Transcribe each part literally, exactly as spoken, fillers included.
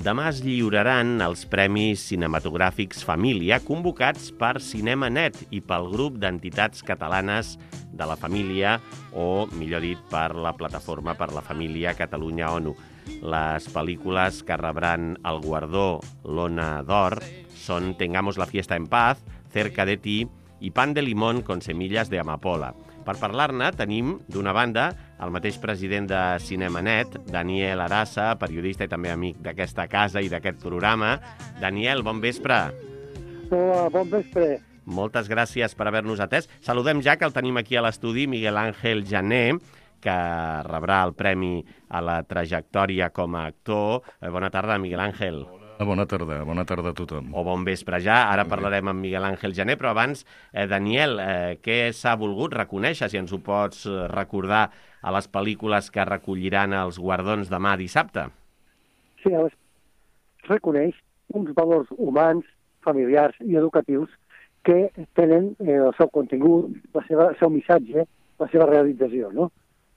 Demà es lliuraran els Premis Cinematogràfics Família convocats per CinemaNet i pel grup d'entitats catalanes de la família o, millor dit, per la Plataforma per la Família Catalunya-ONU. Les pel·lícules que rebran el guardó l'Ona d'Or són Tengamos la fiesta en paz, Cerca de ti i Pan de limón con semillas de amapola. Per parlar-ne tenim, d'una banda, el mateix president de CinemaNet, Daniel Arassa, periodista i també amic d'aquesta casa i d'aquest programa. Daniel, bon vespre. Hola, bon vespre. Moltes gràcies per haver-nos atès. Saludem ja que el tenim aquí a l'estudi, Miguel Ángel Jané, que rebrà el premi a la trajectòria com a actor. Bona tarda, Miguel Ángel. Bona tarda, bona tarda a tothom. O bon vespre ja, ara parlarem amb Miguel Ángel Jané, però abans, eh, Daniel, eh, què s'ha volgut reconèixer, si ens ho pots recordar, a les pel·lícules que recolliran els guardons demà dissabte? Sí, es reconeix uns valors humans, familiars i educatius que tenen eh, el seu contingut, la seva, el seu missatge, la seva realització, no?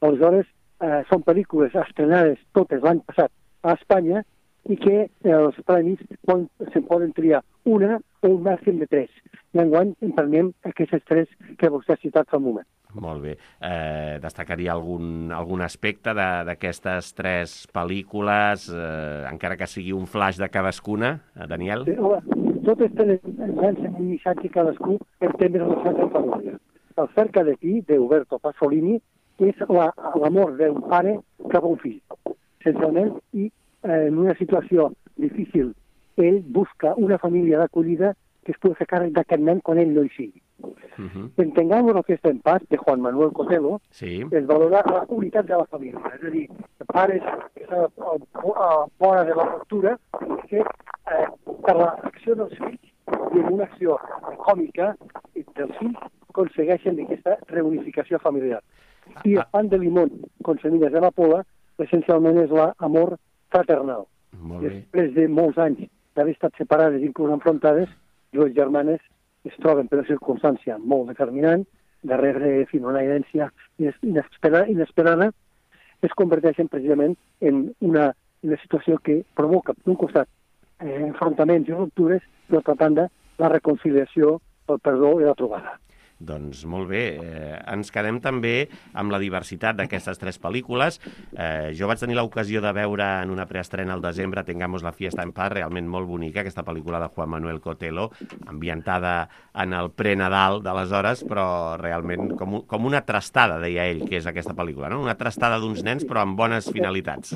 Aleshores, eh, són pel·lícules estrenades totes l'any passat a Espanya i que els premis poden, se'n poden triar una o un màxim de tres. I enguany en prenem aquestes tres que vostè ha citat fa un moment. Molt bé. Eh, destacaria algun, algun aspecte d'aquestes tres pel·lícules, eh, encara que sigui un flash de cadascuna, eh, Daniel? Sí, home, totes tenen un missatge cadascú en temes relacionats amb família. El Cerca de ti, d'Uberto Pasolini, és l'amor la, d'un pare cap a un fill, essencialment, i en una situació difícil, ell busca una família d'acollida que es pugui fer càrrec d'aquest nen quan ell no hi sigui. Uh -huh. Entengamos la fiesta en paz, de Juan Manuel Cotelo, sí. Es valora la unitat de la família, és a dir, pares que són a vora de la ruptura i que eh, per l'acció dels fills i en una acció còmica dels fills aconsegueixen aquesta reunificació familiar. I el Pan de limón con semillas de amapola essencialment és l'amor fraternal. Després de molts anys d'haver estat separades, inclús enfrontades, dues germanes es troben per una circumstància molt determinant, de rebre fin, una herència inesperada, es converteixen precisament en una, una situació que provoca, d'un costat, eh, enfrontaments i ruptures, i d'altra banda, la reconciliació, el perdó i la trobada. Doncs molt bé. Eh, ens quedem també amb la diversitat d'aquestes tres pel·lícules. Eh, jo vaig tenir l'ocasió de veure en una preestrena al desembre Tengamos la fiesta en paz, realment molt bonica, aquesta pel·lícula de Juan Manuel Cotelo, ambientada en el pre-Nadal d'aleshores, però realment com, com una trastada, deia ell, que és aquesta pel·lícula, no? Una trastada d'uns nens, però amb bones finalitats.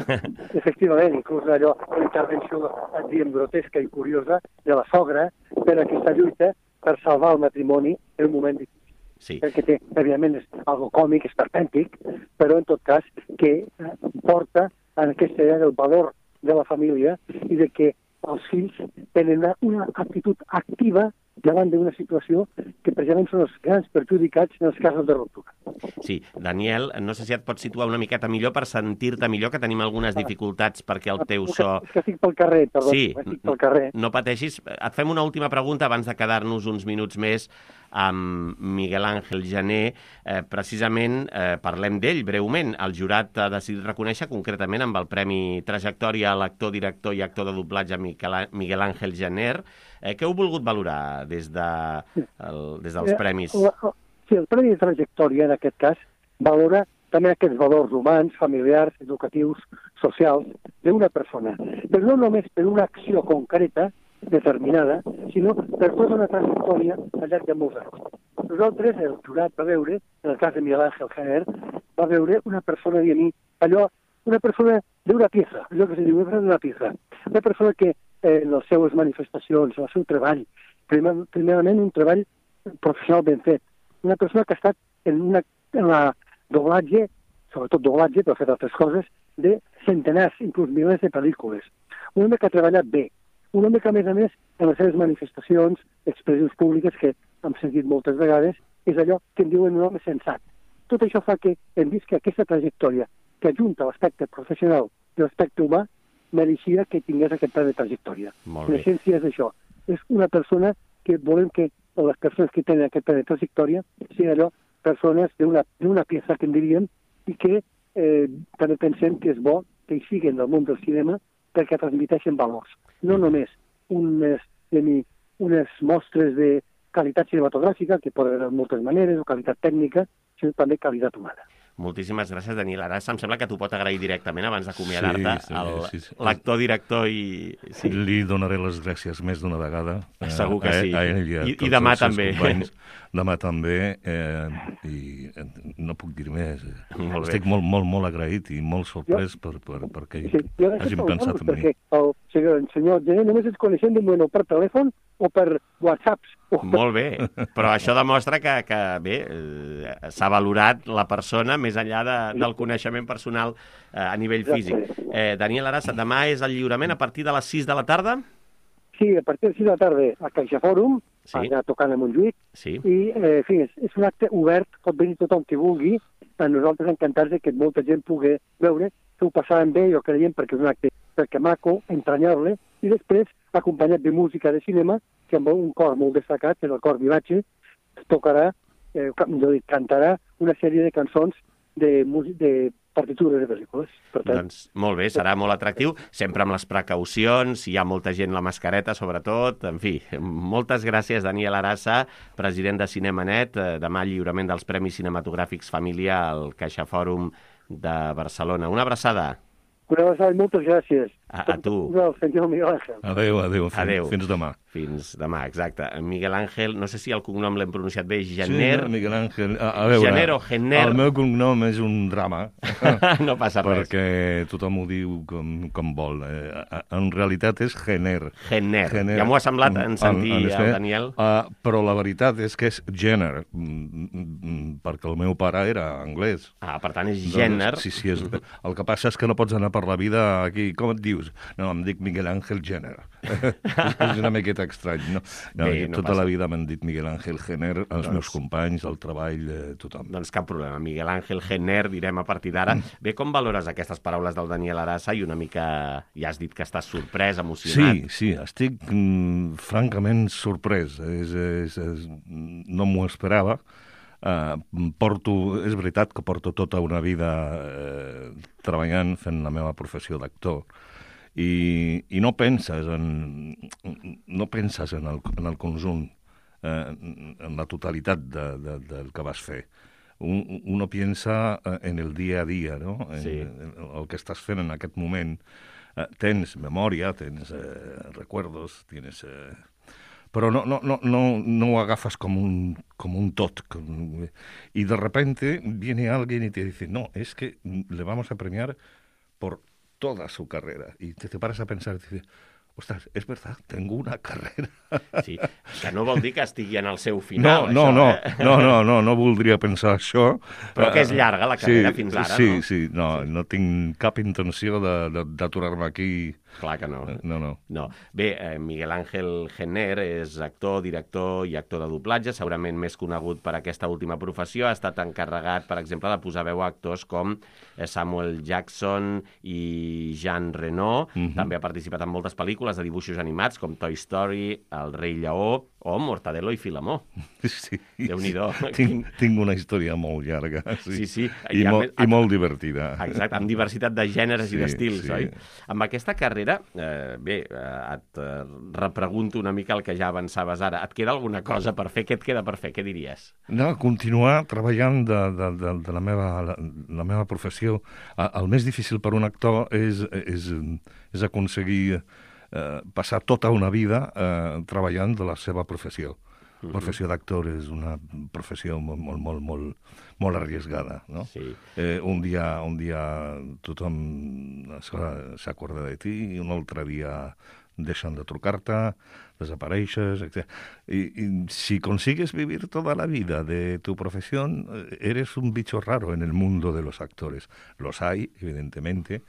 Efectivament, inclús allò, una intervenció, diguem, grotesca i curiosa de la sogra per aquesta lluita per salvar el matrimoni en un moment difícil. Sí. Perquè té, evidentment, és algo còmic, esperpèntic, però en tot cas que porta en aquesta idea del valor de la família i de que els fills tenen una, una actitud activa davant d'una situació que precisament són els grans perjudicats en els casos de ruptura. Sí, Daniel, no sé si et pots situar una miqueta millor per sentir-te millor, que tenim algunes dificultats perquè el teu so... És que estic pel carrer, perdó, sí, estic pel carrer. No pateixis. Et fem una última pregunta abans de quedar-nos uns minuts més amb Miguel Ángel Jané. Eh, precisament eh, parlem d'ell breument. El jurat ha decidit reconèixer concretament amb el Premi Trajectòria a l'actor, director i actor de doblatge Miguel Ángel Jané. Eh, què heu volgut valorar des, de, el, des dels premis? Sí, el Premi de Trajectòria, en aquest cas, valora també aquests valors humans, familiars, educatius, socials, d'una persona. Però no només per una acció concreta, determinada, sinó per tota una trajectòria al llarg de molts anys. Nosaltres, el jurat va veure, en el cas de Miguel Ángel Jané, va veure una persona, diguem, allò, una persona d'una pieza, allò que se diu, una persona d'una pieza. Una persona que eh, en les seues manifestacions, en el seu treball, primer, primerament un treball professional ben fet. Una persona que ha estat en, una, en la doblatge, sobretot doblatge, però ha fet altres coses, de centenars, inclús milers de pel·lícules. Un home que ha treballat bé. Un home que, a més a més, en les seves manifestacions, expressions públiques, que hem sentit moltes vegades, és allò que en diuen un home sensat. Tot això fa que hem vist que aquesta trajectòria, que ajunta l'aspecte professional i l'aspecte humà, mereixia que tingués aquest pla de trajectòria. L'essència és això. És una persona que volem que les persones que tenen aquest pla de trajectòria siguin allò, persones d'una peça, que en diríem, i que eh, també pensem que és bo que hi siguin al món del cinema perquè transmiteixen valors. No només unes, unes mostres de qualitat cinematogràfica, que poden haver moltes maneres, o qualitat tècnica, sinó també qualitat humana. Moltíssimes gràcies, Daniel. Ara em sembla que t'ho pot agrair directament abans d'acomiadar-te sí, sí, sí. l'actor, director i... Sí. Li donaré les gràcies més d'una vegada. Segur que sí. A, a ell i, a I, i demà també. Companys. Demà també. Eh, I no puc dir més. Molt Estic molt, molt, molt agraït i molt sorprès per, per, perquè sí, hagin pensat en mi. Perquè el senyor, el senyor Gené només ens coneixem de moment o per telèfon o per whatsapps. O per... Molt bé, però això demostra que, que bé, eh, s'ha valorat la persona més enllà de, del coneixement personal eh, a nivell físic. Eh, Daniel Arasa, demà és el lliurament a partir de les sis de la tarda? Sí, a partir de les sis de la tarda a Caixa Fòrum, sí. Allà tocant a Montjuïc, sí. I eh, en fi, és, és un acte obert, pot venir tothom que vulgui, a nosaltres encantats de que molta gent pugui veure, que ho passàvem bé, jo creiem, perquè és un acte perquè maco, entranyable, i després acompanyat de música de cinema, que amb un cor molt destacat, que és el cor Vivace, tocarà, eh, millor dit, cantarà una sèrie de cançons de, de partitures de pel·lícules. Per tant, doncs molt bé, serà molt atractiu, sempre amb les precaucions, hi ha molta gent la mascareta, sobretot, en fi, moltes gràcies, Daniel Arasa, president de Cinemanet, demà lliurament dels Premis Cinematogràfics Família al Caixa Fòrum de Barcelona. Una abraçada. Una abraçada i moltes gràcies. A, a tu. Senyor Miguel Ángel. Adéu, adéu. Fins, adéu. Fins demà. Fins demà, exacte. Miguel Ángel, no sé si el cognom l'hem pronunciat bé, Gener... Sí, Miguel Ángel. A, a veure, Gener o Gener... El meu cognom és un drama. No passa res. Perquè tothom ho diu com, com vol. Eh, en realitat és Gener. Gener. Gener. Ja m'ho ha semblat en sentir en, en el Daniel. Uh, però la veritat és que és Jenner, perquè el meu pare era anglès. Ah, per tant és Jenner. Doncs, sí, sí. És, el que passa és que no pots anar per la vida aquí. Com et dius? No, em dic Miguel Ángel Jenner. És una miqueta estrany. No, no, Bé, no tota passa. La vida m'han dit Miguel Ángel Jenner, els doncs, meus companys, el treball, eh, tothom. Doncs cap problema, Miguel Ángel Jenner, direm a partir d'ara. Mm. Bé, com valores aquestes paraules del Daniel Arasa i una mica, ja has dit que estàs sorprès, emocionat? Sí, sí, estic mm, francament sorprès. És, és, és, no m'ho esperava. Uh, porto, és veritat que porto tota una vida eh, treballant, fent la meva professió d'actor, I, i no penses en, no penses en el, en el conjunt, eh, en la totalitat de, de, del que vas fer. Un, uno piensa en el dia a dia, no? En, sí. en el que estàs fent en aquest moment. Eh, tens memòria, tens eh, recuerdos, tienes... Eh, però no, no, no, no, no ho agafes com un, com un tot. Com, y de repente viene alguien y te dice, no, es que le vamos a premiar por toda su carrera. Y te, te paras a pensar y dices, ostras, es verdad, tengo una carrera. Sí, que no vol dir que estigui en el seu final, no, això, no, eh? No, no, no, no voldria pensar això. Però que és llarga la carrera sí, fins ara, sí, no? Sí, sí, no, sí. No tinc cap intenció d'aturar-me aquí. Clar que no. No, no. no. Bé, eh, Miguel Ángel Jenner és actor, director i actor de doblatge, segurament més conegut per aquesta última professió. Ha estat encarregat, per exemple, de posar veu a actors com Samuel Jackson i Jean Reno. Mm-hmm. També ha participat en moltes pel·lícules de dibuixos animats com Toy Story, El rei lleó o Mortadelo i Filemó. Sí. Déu-n'hi-do. Tinc, tinc una història molt llarga. Sí, sí. sí. I, I, molt, i molt divertida. Exacte, amb diversitat de gèneres sí, i d'estils, sí. oi? Amb aquesta carrera, eh, bé, eh, et eh, repregunto una mica el que ja avançaves ara. Et queda alguna cosa per fer? Què et queda per fer? Què diries? No, continuar treballant de, de, de, de la, meva, la, la meva professió. El més difícil per un actor és, és, és aconseguir eh, passar tota una vida eh, treballant de la seva professió. La professió d'actor és una professió molt, molt, molt, molt, molt arriesgada, no? Sí. Eh, un dia, un dia tothom s'acorda de ti i un altre dia deixen de trucar-te, desapareixes, etcétera. Y, y si consigues vivir toda la vida de tu profesión, eres un bicho raro en el mundo de los actores. Los hay, evidentemente,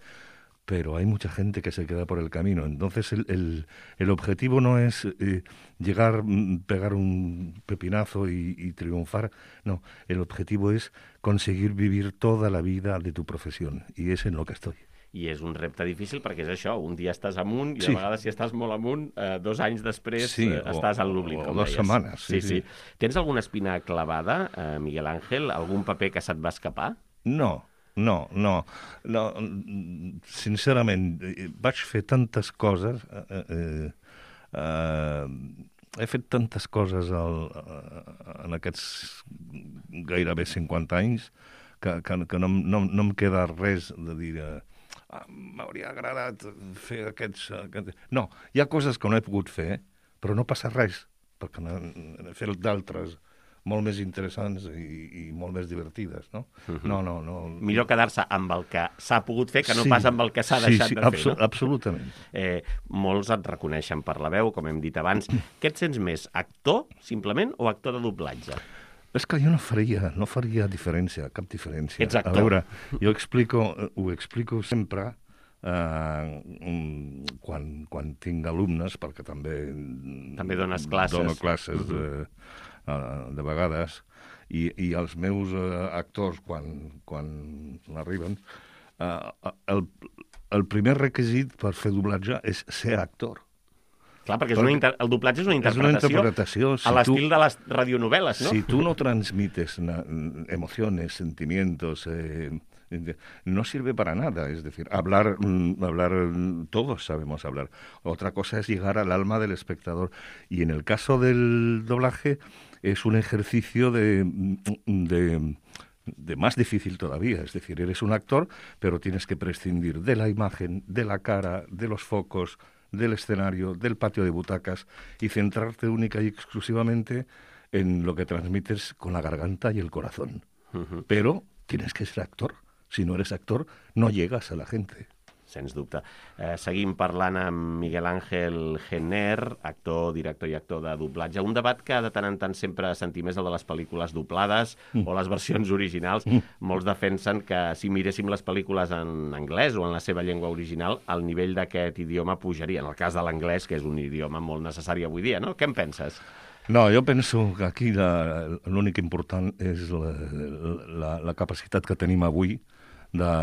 pero hay mucha gente que se queda por el camino. Entonces el, el, el objetivo no es eh, llegar, pegar un pepinazo y, y triunfar. No, el objetivo es conseguir vivir toda la vida de tu profesión. Y es en lo que estoy. I és un repte difícil perquè és això, un dia estàs amunt i sí. a vegades si estàs molt amunt, eh, dos anys després sí, eh, estàs en l'oblit, com o dos deies. setmanes. Sí, sí. sí. Tens alguna espina clavada, eh, Miguel Ángel? Algun paper que se't va escapar? No. no, no, no. Sincerament, vaig fer tantes coses... Eh, eh, eh, he fet tantes coses al, en aquests gairebé cinquanta anys que, que, que no, no, no em queda res de dir... Ah, m'hauria agradat fer aquests, aquests... No, hi ha coses que no he pogut fer, però no passa res, perquè n'he fet d'altres molt més interessants i, i molt més divertides, no? Uh-huh. No, no, no... Millor quedar-se amb el que s'ha pogut fer que no sí, pas amb el que s'ha deixat sí, sí, de fer, abso- no? Absolutament. Eh, molts et reconeixen per la veu, com hem dit abans. Què et sents més, actor, simplement, o actor de doblatge? És que jo no faria, no faria diferència, cap diferència. Ets actor. A veure, jo explico, ho explico sempre eh, quan, quan tinc alumnes, perquè també... També dones classes. Dono classes uh-huh. eh, de vegades, i, i els meus eh, actors, quan, quan arriben, eh, el, el primer requisit per fer doblatge és ser actor. Clar, perquè és una inter... el doblatge és una interpretació, és una interpretació si a l'estil tu, de les radionovel·les, no? Si tu no transmites na, emociones, sentimientos, eh, no sirve para nada. Es decir, hablar, hablar, todos sabemos hablar. Otra cosa es llegar al alma del espectador. Y en el caso del doblaje es un ejercicio de... de de más difícil todavía, es decir, eres un actor, pero tienes que prescindir de la imagen, de la cara, de los focos, del escenario, del patio de butacas y centrarte única y exclusivamente en lo que transmites con la garganta y el corazón. Uh-huh. Pero tienes que ser actor. Si no eres actor, no llegas a la gente. Sens dubte. Eh, seguim parlant amb Miguel Ángel Jenner, actor, director i actor de doblatge. Un debat que de tant en tant sempre sentim és el de les pel·lícules doblades mm. o les versions originals. Mm. Molts defensen que si miréssim les pel·lícules en anglès o en la seva llengua original, el nivell d'aquest idioma pujaria. En el cas de l'anglès, que és un idioma molt necessari avui dia, no? Què en penses? No, jo penso que aquí la, l'únic important és la, la, la capacitat que tenim avui de,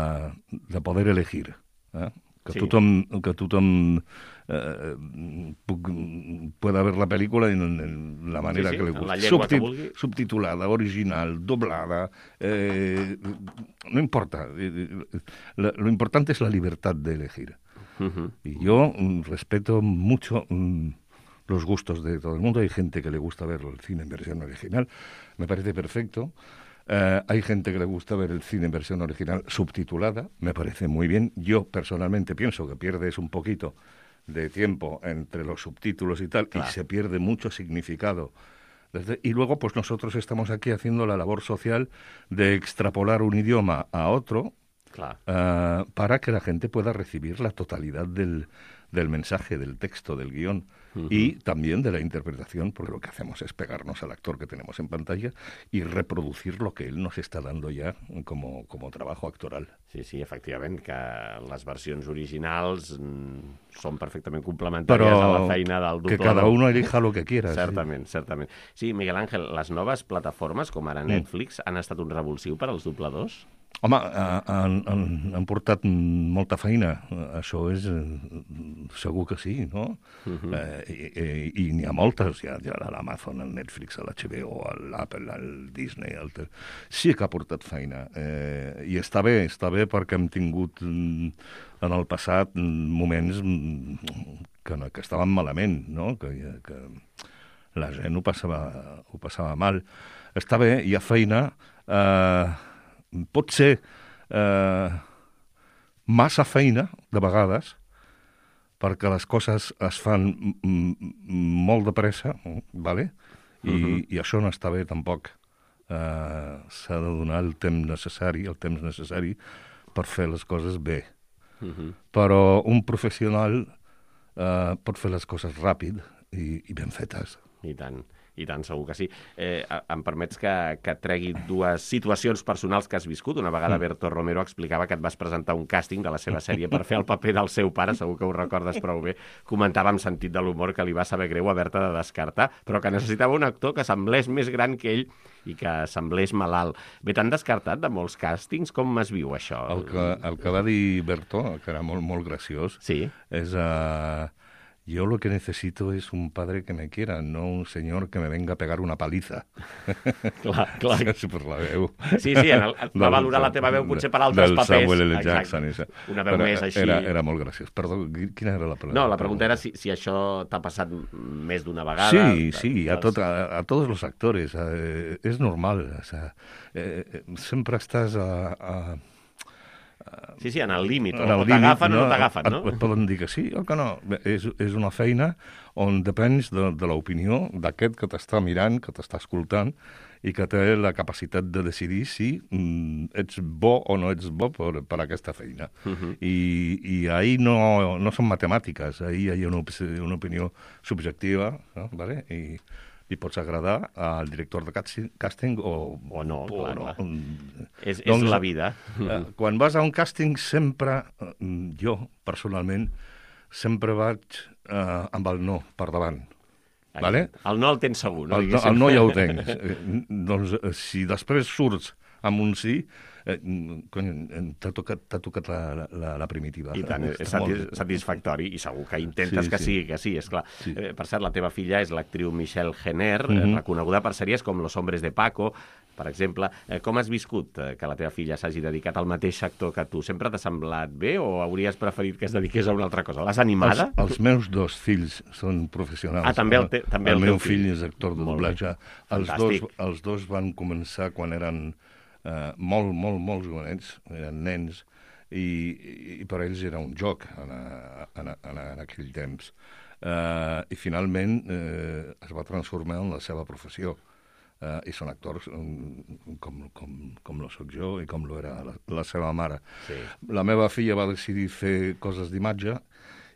de poder elegir. Eh? Que, sí. tothom, que tothom eh, puc, pueda ver la pel·lícula en, en la manera sí, sí, que li gusti. Subtit, que subtitulada, original, doblada, eh, no importa. Lo, lo importante es la libertad de elegir. Uh-huh. Y yo respeto mucho um, los gustos de todo el mundo. Hay gente que le gusta ver el cine en versión original, me parece perfecto. Uh, hay gente que le gusta ver el cine en versión original subtitulada, me parece muy bien. Yo personalmente pienso que pierdes un poquito de tiempo entre los subtítulos y tal, claro. Y se pierde mucho significado. Desde, y luego, pues nosotros estamos aquí haciendo la labor social de extrapolar un idioma a otro, claro. uh, para que la gente pueda recibir la totalidad del, del mensaje, del texto, del guión. Uh-huh. Y también de la interpretación, porque lo que hacemos es pegarnos al actor que tenemos en pantalla y reproducir lo que él nos está dando ya como, como trabajo actoral. Sí, sí, efectivament, que les versions originals mm, són perfectament complementàries Però a la feina del doblador. Que cada uno elija lo que quiera. Certament, sí. certament. Sí, Miguel Ángel, les noves plataformes, com ara Netflix, mm. han estat un revulsiu per als dobladors? Home, han, han, han portat molta feina, això és segur que sí, no? Uh-huh. Eh, i, i, i n'hi ha moltes, hi ha, hi ha l'Amazon, el Netflix, l'H B O, l'Apple, el Disney, el... sí que ha portat feina. Eh, I està bé, està bé perquè hem tingut en el passat moments que, que estaven malament, no? Que, que la gent ho passava, ho passava mal. Està bé, hi ha feina... Eh, pot ser eh, massa feina, de vegades, perquè les coses es fan m- molt de pressa, vale? I, uh-huh. i això no està bé tampoc. Eh, s'ha de donar el temps necessari, el temps necessari per fer les coses bé. Uh-huh. Però un professional eh, pot fer les coses ràpid i, i ben fetes. I tant. I tant, segur que sí. Eh, em permets que, que tregui dues situacions personals que has viscut. Una vegada Berto Romero explicava que et vas presentar un càsting de la seva sèrie per fer el paper del seu pare, segur que ho recordes prou bé. Comentava amb sentit de l'humor que li va saber greu haver-te de descartar, però que necessitava un actor que semblés més gran que ell i que semblés malalt. Bé, t'han descartat de molts càstings? Com es viu això? El que, el que va dir Berto, que era molt, molt graciós, sí. és... Uh... yo lo que necesito es un padre que me quiera, no un señor que me venga a pegar una paliza. Clar, clar. Sí, per la veu. Sí, sí, en el, va valorar la teva veu potser per altres del papers. Samuel L. Exacte. Jackson. Esa. Una veu Però més així. Era, era molt graciós. Perdó, quina era la pregunta? No, la pregunta era si, si això t'ha passat més d'una vegada. Sí, sí, a, tot, a, a todos los actores. Eh, es normal. O sea, eh, sempre estàs a... a Sí, sí, en el límit, o, el o t'agafen no, o no t'agafen, no? Et poden dir que sí o que no. És, és una feina on depens de, de l'opinió d'aquest que t'està mirant, que t'està escoltant, i que té la capacitat de decidir si mm, ets bo o no ets bo per, per aquesta feina. Uh -huh. I, I ahir no, no són matemàtiques, ahir hi ha una, una opinió subjectiva, no? Vale? I li pots agradar al director de càsting o, o no, o clar, no. clar. És, doncs, és la vida. Eh, quan vas a un càsting sempre, eh, jo personalment, sempre vaig eh, amb el no per davant. Vale? El no el tens segur, no? El no, el no ja ho tens. Eh, doncs si després surts amb un sí, eh, t'ha tocat, t'ha tocat la, la, la primitiva. I tant, és satis satisfactori, i segur que intentes sí, que sí. sigui, que sí, esclar. Sí. Eh, per cert, la teva filla és l'actriu Michelle Jenner, mm -hmm. reconeguda per sèries com Los hombres de Paco, per exemple. Eh, com has viscut eh, que la teva filla s'hagi dedicat al mateix sector que tu? Sempre t'ha semblat bé o hauries preferit que es dediqués a una altra cosa? L'has animada? Els, els meus dos fills són professionals. Ah, també el, te, també el, el, el meu fill. fill és actor de doblatge. Els dos, els dos van començar quan eren Uh, molt, molt, molt jovenets, eren nens, i, i per ells era un joc en, a, en, a, en aquell temps. Uh, I finalment uh, es va transformar en la seva professió. Uh, I són actors um, com, com, com lo soc jo i com lo era la, la seva mare. Sí. La meva filla va decidir fer coses d'imatge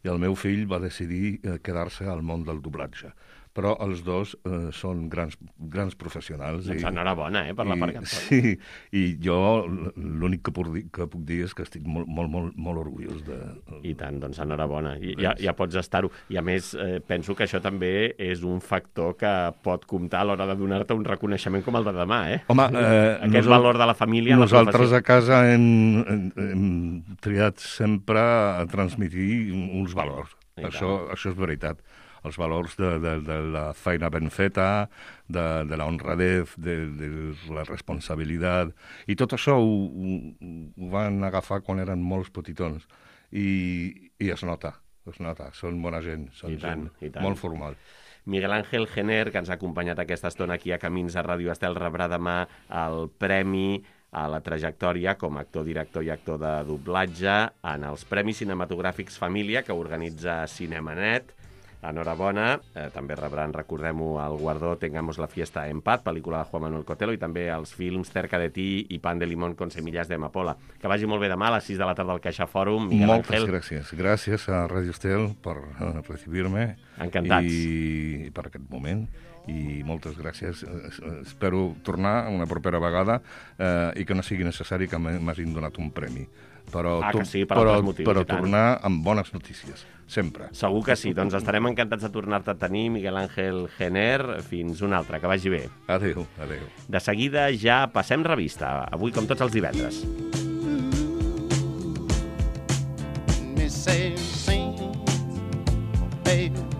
i el meu fill va decidir uh, quedar-se al món del doblatge. Però els dos eh, són grans, grans professionals. Doncs i, enhorabona, eh, per i, la part que sí, i jo l'únic que, que puc dir és que estic molt, molt, molt, molt orgullós de... I tant, doncs enhorabona. I, ja, ja pots estar-ho. I a més, eh, penso que això també és un factor que pot comptar a l'hora de donar-te un reconeixement com el de demà, eh? Home, eh, aquest valor de la família... Nosaltres la a casa hem, hem, hem triat sempre a transmitir uns valors. Això, això és veritat. Els valors de, de, de la feina ben feta, de, de la honradez, de, de la responsabilitat, i tot això ho, ho, ho van agafar quan eren molts petitons, i, i es nota, es nota, són bona gent, són I tant, gent i tant. molt formal. Miguel Ángel Jenner, que ens ha acompanyat aquesta estona aquí a Camins a Ràdio Estel, rebrà demà el premi a la trajectòria com a actor, director i actor de doblatge en els Premis Cinematogràfics Família que organitza Cinemanet. Enhorabona, eh, també rebran, recordem-ho, el guardó Tengamos la fiesta en paz, pel·lícula de Juan Manuel Cotelo, i també els films Cerca de ti i Pan de limón con semillas de amapola. Que vagi molt bé demà a les sis de la tarda al Caixa Fòrum. Miguel Moltes Ángel. gràcies. Gràcies a Radio Estel per uh, recibir-me. Encantats. I, I per aquest moment. I moltes gràcies. Espero tornar una propera vegada eh, i que no sigui necessari que m'hagin donat un premi. Però, ah, que sí, per però, altres motius, però tornar amb bones notícies, sempre. Segur que sí. Doncs estarem encantats de tornar-te a tenir, Miguel Ángel Jenner. Fins una altra. Que vagi bé. Adéu, adéu. De seguida ja passem revista. Avui, com tots els divendres. Me say, sing, baby.